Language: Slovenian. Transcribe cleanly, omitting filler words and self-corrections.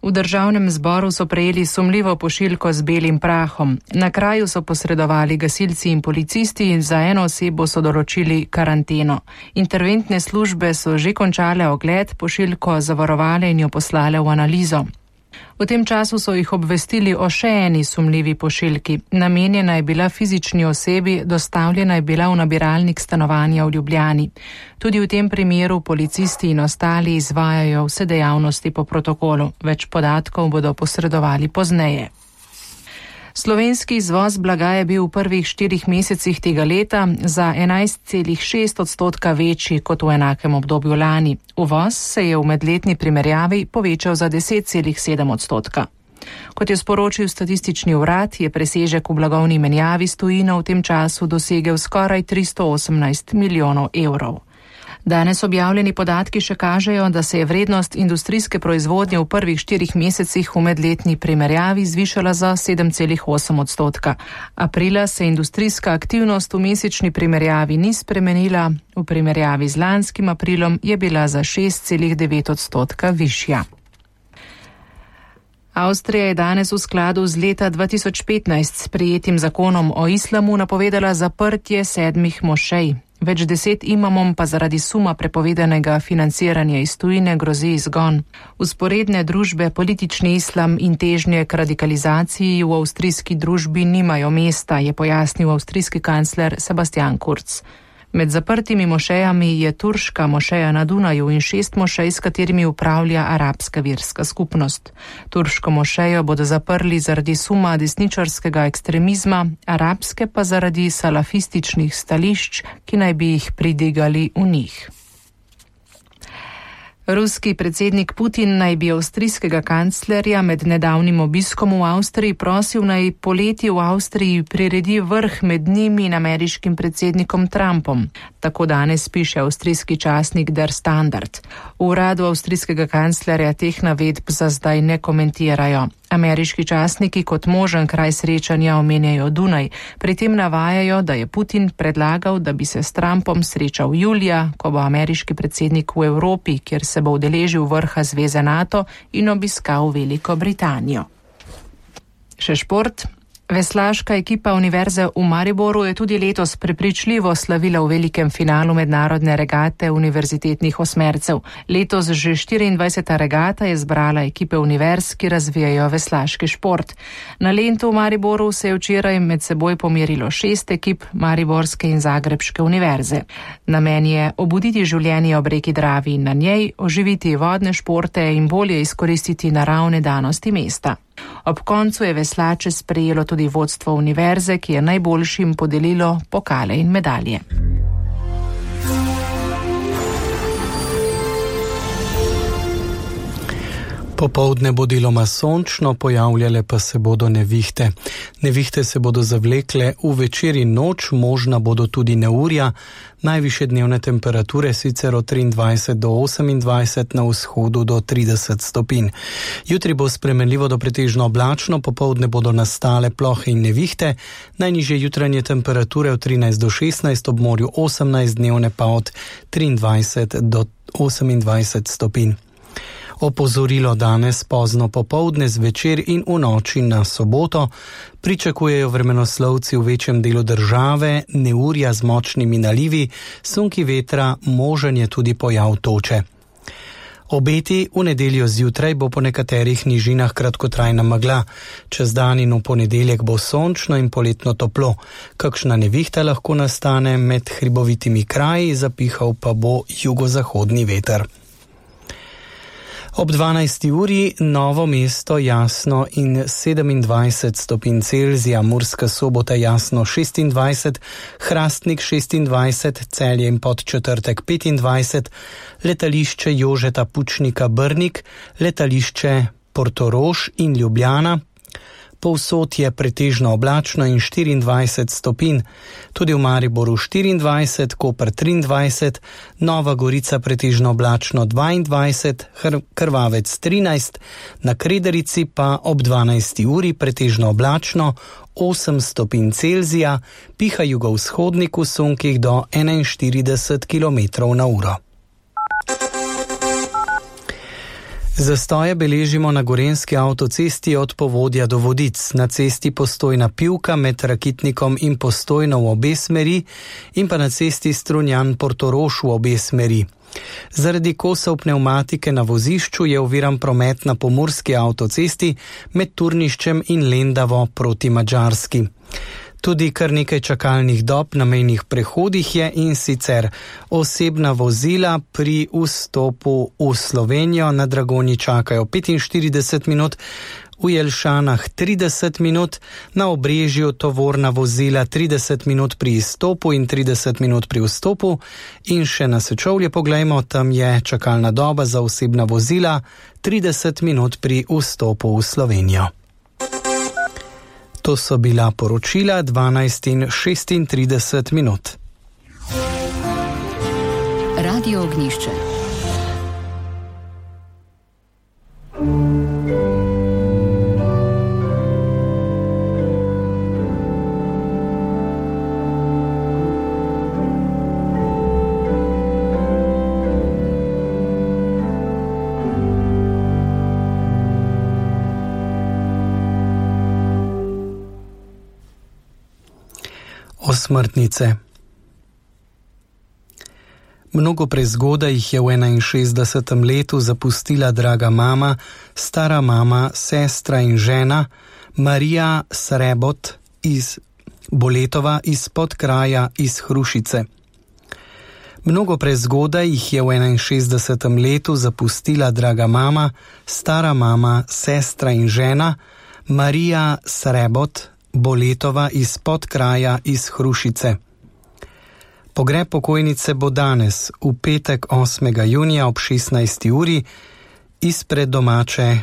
V državnem zboru so prejeli sumljivo pošiljko z belim prahom. Na kraju so posredovali gasilci in policisti in za eno osebo so določili karanteno. Interventne službe so že končale ogled, pošiljko zavarovale in jo poslale v analizo. V tem času so jih obvestili o še eni sumljivi pošiljki. Namenjena je bila fizični osebi, dostavljena je bila v nabiralnik stanovanja v Ljubljani. Tudi v tem primeru policisti in ostali izvajajo vse dejavnosti po protokolu. Več podatkov bodo posredovali pozneje. Slovenski izvoz blaga je bil v prvih 4 mesecih tega leta za 11,6% večji kot v enakem obdobju lani. Uvoz se je v medletni primerjavi povečal za 10,7%. Kot je sporočil statistični urad, je presežek v blagovni menjavi s tujino v tem času dosegel skoraj 318 milijonov evrov. Danes objavljeni podatki še kažejo, da se je vrednost industrijske proizvodnje v prvih 4 mesecih v medletni primerjavi zvišala za 7,8%. Aprila se industrijska aktivnost v mesečni primerjavi ni spremenila, v primerjavi z lanskim aprilom je bila za 6,9% višja. Avstrija je danes v skladu z leta 2015 sprejetim zakonom o islamu napovedala zaprtje 7 mošej. Več 10 imamom pa zaradi suma prepovedanega financiranja iz tujine grozi izgon. Vzporedne družbe, politični islam in težnje k radikalizaciji v avstrijski družbi nimajo mesta, je pojasnil avstrijski kancler Sebastian Kurz. Med zaprtimi mošejami je turška mošeja na Dunaju in 6 mošej, s katerimi upravlja arabska verska skupnost. Turško mošejo bodo zaprli zaradi suma desničarskega ekstremizma, arabske pa zaradi salafističnih stališč, ki naj bi jih pridigali v njih. Ruski predsednik Putin naj bi avstrijskega kanclerja med nedavnim obiskom v Avstriji prosil naj poleti v Avstriji priredi vrh med njim in ameriškim predsednikom Trumpom. Tako danes piše avstrijski časnik Der Standard. V uradu avstrijskega kanclerja teh navedb za zdaj ne komentirajo. Ameriški časniki kot možen kraj srečanja omenjajo Dunaj. Pri tem navajajo, da je Putin predlagal, da bi se s Trumpom srečal julija, ko bo ameriški predsednik v Evropi, kjer se bo udeležil vrha zveze NATO in obiskal Veliko Britanijo. Še šport. Veslaška ekipa Univerze v Mariboru je tudi letos prepričljivo slavila v velikem finalu mednarodne regate univerzitetnih osmercev. Letos že 24. regata je zbrala ekipe univerz, ki razvijajo veslaški šport. Na Lentu v Mariboru se je včeraj med seboj pomerilo 6 ekip Mariborske in Zagrebške univerze. Namen je obuditi življenje ob reki Dravi in na njej, oživiti vodne športe in bolje izkoristiti naravne danosti mesta. Ob koncu je veslače sprejelo tudi vodstvo univerze, ki je najboljšim podelilo pokale in medalje. Popoldne bo deloma sončno, pojavljale pa se bodo nevihte. Nevihte se bodo zavlekle v večer in noč, možna bodo tudi neurja, najvišje dnevne temperature sicer od 23 do 28, na vzhodu do 30 stopinj. Jutri bo spremenljivo do pretežno oblačno, popoldne bodo nastale plohe in nevihte, najnižje jutranje temperature od 13 do 16, ob morju 18, dnevne pa od 23 do 28 stopinj. Opozorilo danes pozno popoldne, zvečer in v noči na soboto pričakujejo vremenoslovci v večjem delu države neurja z močnimi nalivi, sunki vetra, možen je tudi pojav toče. Obeti v nedeljo zjutraj bo po nekaterih nižinah kratkotrajna megla, čez dan in v ponedeljek bo sončno in poletno toplo. Kakšna nevihta lahko nastane med hribovitimi kraji, zapihal pa bo jugozahodni veter. Ob 12. uri Novo mesto jasno in 27 stopinj Celzija, Murska Sobota jasno 26, Hrastnik 26, Celje in Podčetrtek 25, letališče Jožeta Pučnika Brnik, letališče Portorož in Ljubljana. Povsod je pretežno oblačno in 24 stopinj, tudi v Mariboru 24, Koper 23, Nova Gorica pretežno oblačno 22, Krvavec 13, na Krederici pa ob 12. uri pretežno oblačno 8 stopinj Celzija, piha jugovzhodnik v sunkih do 41 km/h. Zastoje beležimo na gorenjski avtocesti od Povodja do Vodic, na cesti Postojna-Pivka med Rakitnikom in Postojno v obe smeri in pa na cesti Strunjan-Portorož v obe smeri. Zaradi kosov pnevmatike na vozišču je oviran promet na pomurski avtocesti med Turniščem in Lendavo proti Madžarski. Tudi kar nekaj čakalnih dob na mejnih prehodih je, in sicer osebna vozila pri vstopu v Slovenijo na Dragonji čakajo 45 minut, v Jelšanah 30 minut, na Obrežju tovorna vozila 30 minut pri izstopu in 30 minut pri vstopu, in še na Sečovlje poglejmo, tam je čakalna doba za osebna vozila 30 minut pri vstopu v Slovenijo. To so bila poročila 12:36 minut. Radio Ognjišče. Osmrtnice. Mnogo prezgodaj jih je v 61. letu zapustila draga mama, stara mama, sestra in žena Marija Srebot iz Boletova iz Podkraja iz Hrušice. Mnogo prezgodaj jih je v 61. letu zapustila draga mama, stara mama, sestra in žena Marija Srebot Boletova iz Podkraja iz Hrušice. Pogreb pokojnice bo danes, v petek 8. junija ob 16. uri, izpred domače